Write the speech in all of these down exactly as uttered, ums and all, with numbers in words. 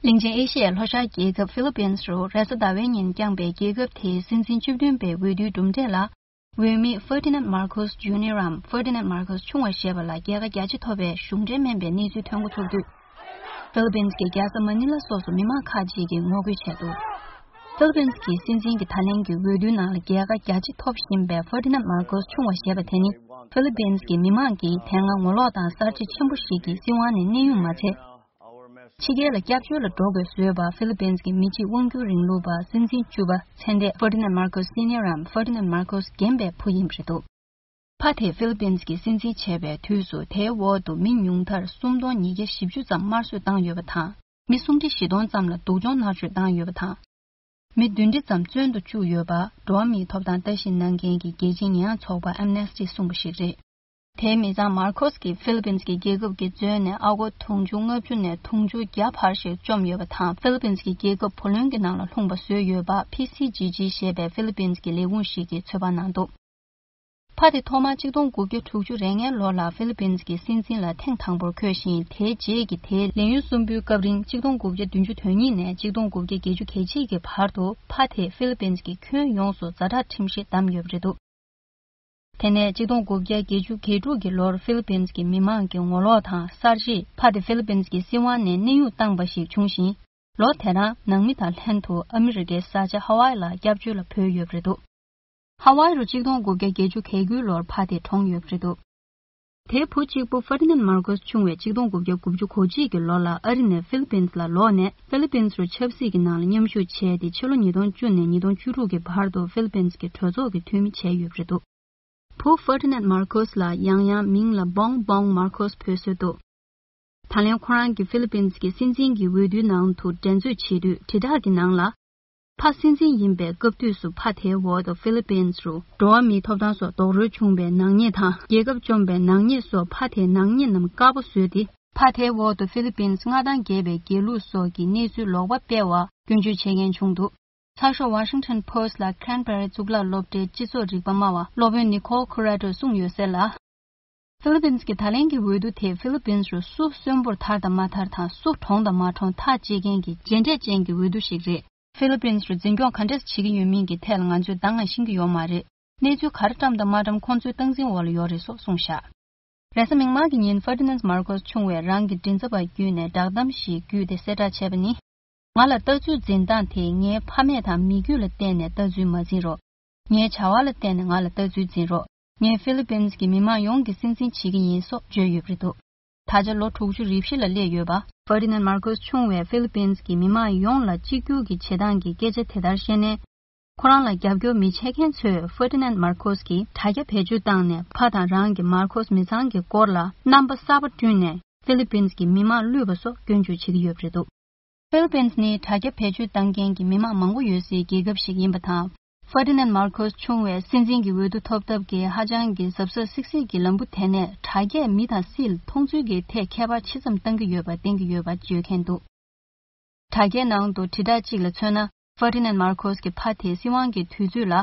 གླིང་ཆེན་ཨེ་ཤི་ཡའི་ལྷོ་ཤར་རྒྱལ་ཁབ་ཧྥི་ལི་པིན་རུ་རེས་གཟའ་ཟླ་བའི་ཉིན་བསྐྱངས་པའི་རྒྱལ་ཁབ་དེའི་སྲིད་འཛིན་བཅུ་བདུན་པའི་འོས་བསྡུའི་གྲུབ་འབྲས་ལ། འོས་མི་Ferdinand Marcos Junior འམ་Ferdinand Marcos ཆུང་བ་ཞེས་པ་ལ་རྒྱལ་ཁ་རྒྱ་ཆེ་ཐོབ་པའི་གཞུང་འབྲེལ་མིན་པའི་གནས་ཚུལ་ཐོན་འགོ་ཚུགས་དུས། ཧྥི་ལི་པིན་གྱི་རྒྱལ་ས་མ་ནི་ལ་སོགས་སུ་མི་མང་ཁག་ཅིག་གིས་ངོ་རྒོལ་བྱས་འདུག་ཧྥི་ལི་པིན་གྱི་སྲིད་འཛིན་གྱི་ད་ལན་གྱི་འོས་བསྡུའི་ནང་ལ་རྒྱལ་ཁ་རྒྱ་ཆེ་ཐོབ་བཞིན་པའི་Ferdinand Marcos ཆུང་བ་ཞེས་པ་དེ་ནི་ཧྥི་ལི་པིན་གྱི་མི་མང་གིས་དེ་སྔ་ངོ་ལོག་དང་གསར་བརྗེ་ཆེན་པོ་ཞིག་གི་སྲིད་དབང་ནས་གནས་དབྱུང་མ་བྱས། ཕྱི་རྒྱལ་ལ་སྐྱབས་བཅོལ་ལ་འགྲོ་དགོས་བཟོས་པ་ཧྥི་ལི་པིན་གྱི་མི་གཅིག་དབང་སྒྱུར་རིང་ལུགས་པ་སྲིད་འཛིན་བཅུ་པ་ཚེ་འདས་Ferdinand Marcos Senior འམ་Ferdinand Marcos རྒན་པའི་བུ་ཡིན་པ་རེད་འདུག་ཕ་དེ་ཧྥི་ལི་པིན་གྱི་སྲིད་འཛིན་བྱས་པའི་དུས་སུ་དེའི་འོག་ཏུ་མི་ཉུང་མཐར་སུམ་སྟོང་ཉིས་བརྒྱ་བཞི་བཅུ་ཙམ་དམར་གསོད་བཏང་ཡོད་པ་དང་། མི་སུམ་ཁྲི་བཞི་སྟོང་ཙམ་ལ་སྡུག་སྦྱོང་མནར་གཅོད་བཏང་ཡོད་པ་དང་། མི་བདུན་ཁྲི་ཙམ་བཙོན་དུ་བཅུག་ཡོད་པ་འགྲོ་བ་མིའི་ཐོབ་ཐང་ལྟ་ཞིབ་གནང་མཁན་གྱི་རྒྱལ་སྤྱིའི་ཉེས་ཡངས་ཚོགས་པ་Amnesty གསུངས་པ་ཞིག་རེད། དེའི་མི་ཚང་མར་ཁོས་ཀྱིས་ཧྥི་ལི་པིན་གྱི་རྒྱལ་ཁབ་ཀྱི་མཛོད་ནས་ཨ་སྒོར་དུང་ཕྱུར་ལྔ་བཅུ་ནས་དུང་ཕྱུར་བརྒྱ་བར་ཞིག་བཅོམ་ཡོད་པ་དང་། ཧྥི་ལི་པིན་གྱི་རྒྱལ་ཁབ་བུ་ལོན་གྱི་ནང་ལ་ལྷུང་བ་བཟོས་ཡོད་པ་P C G G ཞེས་པའི་ཧྥི་ལི་པིན་གྱི་ལས་ཁུངས་ཤིག་གིས་ཚོད་དཔག་གནང་འདུག་ཕ་དེ་ཐོག་མར་གཅིག་སྟོང་དགུ་བརྒྱ་དྲུག་ཅུ་རེ་ལྔའི་ལོ་ལ་ཧྥི་ལི་པིན་གྱི་སྲིད་འཛིན་ལ་ཐེངས་དང་པོར་འཁོད་ཞིང་། དེའི་རྗེས་ཀྱི་དེའི་ལས་ཡུན་གསུམ་པོའི་སྐབས་རིང་གཅིག་སྟོང་དགུ་བརྒྱ་བདུན་ཅུ་དོན་གཉིས་ནས་གཅིག་སྟོང་དགུ་བརྒྱ་བརྒྱད་ཅུ་གྱ་གཅིག་གི་བར་དུ་ཕ་དེས་ཧྥི་ལི་པིན་གྱི་ཁྱོན་ཡོངས་སུ་ཛ་དྲག་ཁྲིམས་གཞི་བསྡམས་ཡོད་པ་རེད་འདུག་དེ་ནས་གཅིག་སྟོང་དགུ་བརྒྱ་བརྒྱད་ཅུ་གྱ་དྲུག་གི་ལོར་ཧྥི་ལི་པིན་གྱི་མི་མང་གི་ངོ་ལོག་དང་གསར་བརྗེས་ཕ་དེ་ཧྥི་ལི་པིན་གྱི་སྲིད་དབང་ནས་གནས་དབྱུང་བཏང་པ་ཞིག་བྱུང་ཞིང་། ལོ་དེ་རང་ནང་མི་དང་ལྷན་དུ་ཨ་མི་རི་ཀའི་ས་ཆ་ཧ་ཝའི་ལ་སྐྱབས་བཅོལ་ལ་བྲོས་ཡོད་པ་རེད་འདུག་ཧ་ཝའི་རུ་གཅིག་སྟོང་དགུ་བརྒྱ་བརྒྱད་ཅུ་གྱ་དགུའི་ལོར་ཕ་དེ་གྲོངས་ཡོད་པ་རེད་འདུག་དེའི་བུ་གཅིག་པུ་ཧྥར་ཏི་ནན་མར་ཁོས་ཆུང་བས་གཅིག་སྟོང་དགུ་བརྒྱ་དགུ་བཅུ་གོ་གཅིག་གི་ལོ་ལ་ཨ་རི་ནས་ཧྥི་ལི་པིན་ལ་ལོག་ནས་ཧྥི་ལི་པིན་རུ་ཆབ་སྲིད་ཀྱི་ནང་ལ་མཉམ་ཞུགས་བྱས་ཏེ། ཕྱི་ལོ་ཉིས་སྟོང་བཅུ་ནས་ཉིས་སྟོང་བཅུ་དྲུག་གི་བར་དུ་ཧྥི་ལི་པིན་གྱི་གྲོས་ཚོགས་ཀྱི་འཐུས་མི་བྱས་ཡོད་པ་རེད་འདུག་བུ་ཧྥར་ཏི་ནན་མར་ཁོས་ལ་ཡང་ཡང་མིང་ལ་བོང་བོང་མར་ཁོས་འབོད་སྲོལ་འདུག་ད་ལན་ཁོ་རང་གིས་ཧྥི་ལི་པིན་གྱི་སྲིད་འཛིན་གྱི་འོས་བསྡུའི་ནང་དུ་འགྲན་རྩོད་བྱེད་དུས། དྲིལ་བསྒྲགས་ཀྱི་ནང་ལ། ཕ་སྲིད་འཛིན་ཡིན་པའི་སྐབས་དུས་སུ་ཕ་དེའི་འོག་ཏུ་ཧྥི་ལི་པིན་རུ་འགྲོ་བ་མིའི་ཐོབ་ཐང་སོགས་རྡོག་རོལ་བྱུང་བའི་ནག་ཉེས་དང་། རྒྱལ་ཁབ་བཅོམ་པའི་ནག་ཉེས་སོགས་ཕ་དེའི་ནག་ཉེས་རྣམས་དཀར་པོ་བཟོས་ཏེ། ཕ་དེའི་འོག་ཏུ་ཧྥི་ལི་པིན་མངའ་ཐང་རྒྱས་པའི་དགེ་ལུགས་སོགས་ཀྱི་གནས་ཚུལ་ལོག་པ་སྤེལ་བར་སྐྱོན་བརྗོད་བྱེད་མཁན་བྱུང་འདུག་ཚགས་ཤོག་Washington Post ལ་Cranberry་གཙུག་ལག་སློབ་གྲྭའི་སྤྱི་ཚོགས་རིག་པ་སྨྲ་བ་སློབ་དཔོན་Nicole Corrado གསུངས་ཡོད་གསལ་ལ། ཧྥི་ལི་པིན་གྱི་ད་ལན་གྱི་འོས་བསྡུ་དེས་ཧྥི་ལི་པིན་རུ་སུ་གསོན་པོར་ཐར་དང་མ་ཐར་དང་། སུ་གྲོངས་དང་མ་གྲོངས་ཐག་གཅད་མཁན་གྱི་རྗེས་འབྲས་ཅན་གྱི་འོས་བསྡུ་ཞིག་རེད། ཧྥི་ལི་པིན་རུ་འཛིན་སྐྱོང་ག་འདྲས་བྱེད་ཀྱི་ཡོད་མིན་གྱི་ཐད་ལ་ང་ཚོས་ད་སྔ་ཤེས་ཀྱི་ཡོད་མ་རེད། གནས་ཚུལ་ག་རེ་བཀྲམ་དང་མ་བཀྲམ་ཁོང་ཚོའི་སྟངས་འཛིན་འོག་ལ་ཡོད་རེད་སོགས་གསུངས་བཞག་རེས་གཟའ་མིག་དམར་གྱི་ཉིན་ཧྥར་ཏི་ནན་མར་ཁོས་ཆུང་བས་རང་གི་མགྲིན་ཚབ་པ་བརྒྱུད་ནས་བསྒྲགས་གཏམ་ཞིག་བརྒྱུད་དེ་གསལ་བསྒྲགས་བྱས་པ་ནི། ང་ལ་ལྟ་ཚུལ་འཛིན་སྟངས་དེས་ངའི་ཕ་མེས་དང་མི་རྒྱུད་ལ་བརྟེན་ནས་ལྟ་ཚུལ་མ་འཛིན་རོགས། ངའི་བྱ་བ་ལ་བརྟེན་ནས་ང་ལ་ལྟ་ཚུལ་འཛིན་རོགས། ངས་ཧྥི་ལི་པིན་གྱི་མི་མང་ཡོངས་ཀྱི་སྲིད་འཛིན་བྱེད་ཀྱི་ཡིན་སོགས་བརྗོད་ཡོད་པ་རེད་འདུག་ད་ཆ་ལོ་དྲུག་ཅུ་རེ་བཞི་ལ་སླེབས་ཡོད་པ་ཧྥར་ཏི་ནན་མར་ཁོས་ཆུང་བས་ཧྥི་ལི་པིན་གྱི་མི་མང་ཡོངས་ལ་གཅིག་གྱུར་གྱི་བྱེད་སྟངས་ཀྱི་སྐད་ཆ་དེ་ལྟར་བཤད་ནས། ཁོ་རང་ལ་རྒྱབ་སྐྱོར་མི་བྱེད་མཁན་ཚོས་ཧྥར་ཏི་ནན་མར་ཁོས་ཀྱིས་དྲ་རྒྱ་བེད་སྤྱོད་བཏང་ནས་ཕ་དང་རང་གི་མར་ཁོས་མི་ཚང་གི་སྐོར་ལ་རྣམ་པ་གསར་པ་བསྐྲུན་ནས་ཧྥི་ལི་པིན་གྱི་མི་མང་བསླུས་པ་སོགས་སྐྱོན་བརྗོད་བྱེད་ཀྱི་ཡོད་པ་རེད་འདུག་ཧྥི་ལི་པིན་ནི་དྲ་རྒྱ་བེད་སྤྱོད་བཏང་མཁན་གྱི་མི་མང་མང་པོ་ཡོད་སའི་རྒྱལ་ཁབ་ཞིག་ཡིན་པ་དང་། ཧྥར་ཏི་ནན་མར་ཁོས་ཆུང་བས་སྲིད་འཛིན་གྱི་འོས་བསྡུ་ཐོབ་ཐབས་ཀྱི་ཧ་ཅང་གི་གཟབ་གཟབ་སིག་སིག་གི་ལམ་བུ་དེ་ནས་དྲ་རྒྱས་མི་དང་སྲིད་ལ་མཐོང་ཚུལ་གྱི་ཐད་ཁྱད་པར་ཆེ་ཙམ་གཏང་གི་ཡོད་པ་བསྟན་གྱི་ཡོད་པ་བརྗོད་མཁན་འདུག་དྲ་རྒྱའི་ནང་དུ་དྲིལ་བསྒྲགས་གཅིག་ལ་མཚོན་ན། ཧྥར་ཏི་ནན་མར་ཁོས་ཀྱི་ཕ་དེའི་སྲིད་དབང་གི་དུས་ཚོད་ལ།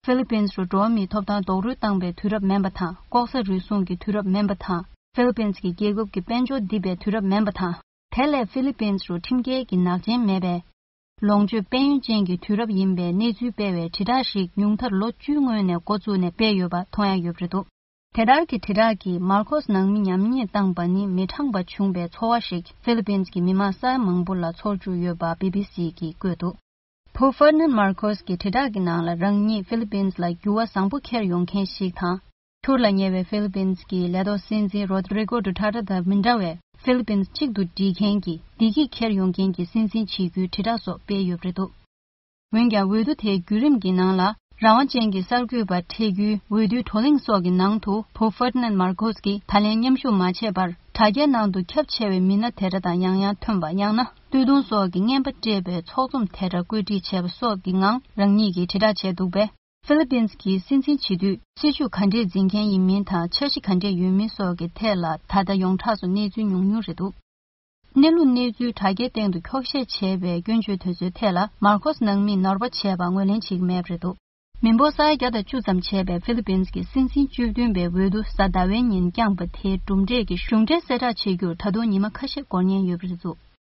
ཧྥི་ལི་པིན་རུ་འགྲོ་བ་མིའི་ཐོབ་ཐང་རྡོག་རོལ་བཏང་པའི་དུས་རབས་མིན་པ་དང་། ལྐོག་ཟ་རུལ་སུངས་ཀྱི་དུས་རབས་མིན་པ་དང་། ཧྥི་ལི་པིན་གྱི་རྒྱལ་ཁབ་ཀྱི་དཔལ་འབྱོར་རྡིབ་པའི་དུས་རབས་མིན་པ་དང་། དེ་ལས་ཧྥི་ལི་པིན་རུ་ཁྲིམས་འགལ་གྱི་ནག་ཅན་མེད་པའི་ལོངས་སྤྱོད་དཔལ་ཡོན་ཅན་གྱི་དུས་རབས་ཡིན་པའི་གནས་ཚུལ་སྤེལ་བའི་དྲིལ་བསྒྲགས་ཤིག་ཉུང་མཐར་ལོ་བཅུའི་སྔོན་ནས་འགོ་བཙུགས་ནས་སྤེལ་ཡོད་པ་མཐོང་ཡ་ཡོད་པ་རེད་འདུག་དེ་ལྟར་གྱི་དྲིལ་བསྒྲགས་ཀྱིས་མར་ཁོས་ནང་མི་ཉམས་ཉེས་བཏང་པ་ནི་མི་དྲང་པ་བྱུང་བའི་ཚོར་བ་ཞིག་ཧྥི་ལི་པིན་གྱི་མི་མང་ས་ཡ་མང་པོ་ལ་ཚོར་བཅུག་ཡོད་པ་བི་བི་སི་གིས་བཀོད་འདུག་བུ་ཧྥར་ནན་མར་ཁོས་ཀྱི་དྲིལ་བསྒྲགས་ཀྱི་ནང་ལ་རང་ཉིད་ཧྥི་ལི་པིན་ལ་འགྱུར་བ་བཟང་པོ་འཁྱེར་ཡོང་མཁན་ཞིག་དང་། འཁྱུར་ལ་ཉེ་བའི་ཧྥི་ལི་པིན་གྱི་ལས་ཐོག་སྲིད་འཛིན་རོ་དྲི་ཀོ་ཌུ་ཐར་ཏེ་དང་མི་འདྲ་བའི་ཧྥི་ལི་པིན་གཅིག་ཏུ་སྒྲིལ་མཁན་གྱི་བདེ་སྐྱིད་འཁྱེར་ཡོང་མཁན་གྱི་སྲིད་འཛིན་བྱེད་རྒྱུའི་དྲིལ་བསྒྲགས་སོགས་སྤེལ་ཡོད་པ་རེད་འདུག་འོན་ཀྱང་། འོས་བསྡུ་དེའི་བརྒྱུད་རིམ་གྱི་ནང་ལ། རང་དབང་ཅན་གྱི་གསར་འགོད་པ་འཕྲད་རྒྱུའི་འོས་བསྡུའི་བགྲོ་གླེང་སོགས་ཀྱི་ནང་དུ། བུ་ཧྥར་ཏི་ནན་མར་ཁོས་ཀྱིས་ད་ལན་མཉམ་ཞུགས་མ་བྱས་པར། དྲ་རྒྱའི་ནང་དུ་ཁྱབ་ཆེ་བའི་མི་སྣ་དེ་འདྲ་དང་ཡང་ཡང་ཐོན་པ། ཡང་ན། སྟོད་ཐུང་སོགས་ཀྱིས་རྔན་པ་སྤྲད་པའི་ཚོགས་འཛོམས་དེ་འདྲ་བཀོད་སྒྲིག་བྱས་པ་སོགས་ཀྱི་ངང་རང་ཉིད་ཀྱིས་དྲིལ་བསྒྲགས་བྱས་འདུག་པས། ཧྥི་ལི་པིན་གྱི་སྲིད་འཛིན་བྱེད་དུས། སྲིད་ཇུས་ག་འདྲས་འཛིན་མཁན་ཡིན་མིན་དང་། འཆར་གཞི་ག་འདྲས་ཡོད་མིན་སོགས་ཀྱི་ཐད་ལ་ད་ལྟ་ཡོངས་གྲགས་སུ་གནས་ཚུལ་ཉུང་ཉུང་རེད་འདུག་གནས་ལུགས་གནས་ཚུལ་དྲ་རྒྱའི་སྟེང་དུ་འཁྱོག་བཤད་བྱས་པའི་སྐྱོན་བརྗོད་དེ་ཚོའི་ཐད་ལ་མར་ཁོས་ནང་མིས་ནོར་བ་བྱས་པ་ངོས་ལེན་བྱེད་ཀྱི་མེད་པ་རེད་འདུག་མི་འབོར་ས་ཡ་བརྒྱ་དང་བཅུ་ཙམ་བྱས་པའི་ཧྥི་ལི་པིན་གྱི་སྲིད་འཛིན་བཅུ་བདུན་པའི་འོས་བསྡུ་གཟའ་ཟླ་བའི་ཉིན་བསྐྱངས་པ་དེའི་གྲུབ་འབྲས་ཀྱི་གཞུང་འབྲེལ་གསལ་བསྒྲགས་བྱེད་རྒྱུར་ད་དུང་ཉི་མ་ཁ་ཤས་འགོར་ཉེན་ཡོད་པ་རེད་འདུག